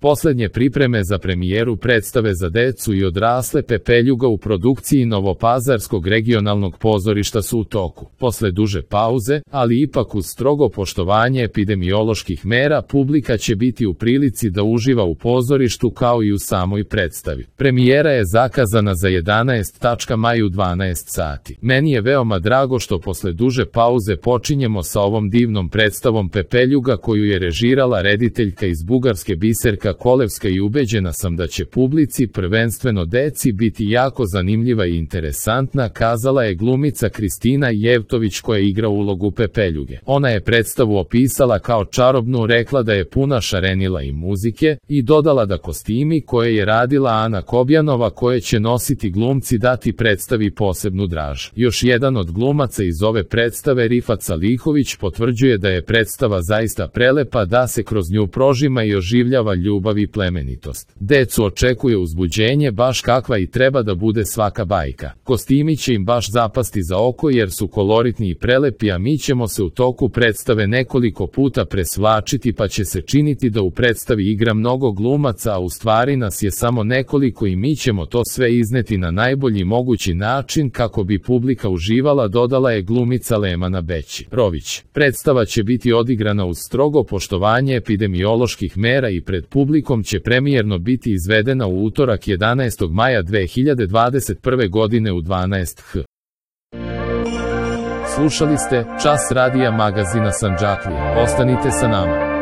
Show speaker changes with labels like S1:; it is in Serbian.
S1: Poslednje pripreme za premijeru predstave za decu i odrasle Pepeljuga u produkciji Novopazarskog regionalnog pozorišta su u toku. Posle duže pauze, ali ipak uz strogo poštovanje epidemioloških mera, publika će biti u prilici da uživa u pozorištu kao i u samoj predstavi. Premijera je zakazana za 11. maj u 12 sati. Meni je veoma drago što posle duže pauze počinjemo sa ovom divnom predstavom Pepeljuga koju je režirala rediteljka iz Bugarske Biserka Kolevska i ubeđena sam da će publici, prvenstveno deci, biti jako zanimljiva i interesantna, kazala je glumica Kristina Jevtović koja igra ulogu Pepeljuge. Ona je predstavu opisala kao čarobnu, rekla da je puna šarenila i muzike i dodala da kostimi koje je radila Ana Kobjanova koje će nositi glumci dati predstavi posebnu draž. Još jedan od glumaca iz ove predstave, Rifat Salihović, potvrđuje da je predstava zaista prelepa, da se kroz nju prožima i oživljava ljubav i plemenitost. Decu očekuje uzbuđenje baš kakva i treba da bude svaka bajka. Kostimi će im baš zapasti za oko jer su koloritni i prelepi, a mi ćemo se u toku predstave nekoliko puta presvlačiti pa će se činiti da u predstavi igra mnogo glumaca, a u stvari nas je samo nekoliko i mi ćemo to sve izneti na najbolji mogući način kako bi publika uživala, dodala je glumica Lemana Beći-Rović. Predstava će biti odigrana uz strogo poštovanje epidemioloških mera i pred publikom će premijerno biti izvedena u utorak 11. maja 2021. godine u 12h. Slušali ste Čas radija magazina Sandžaklija. Ostanite sa nama.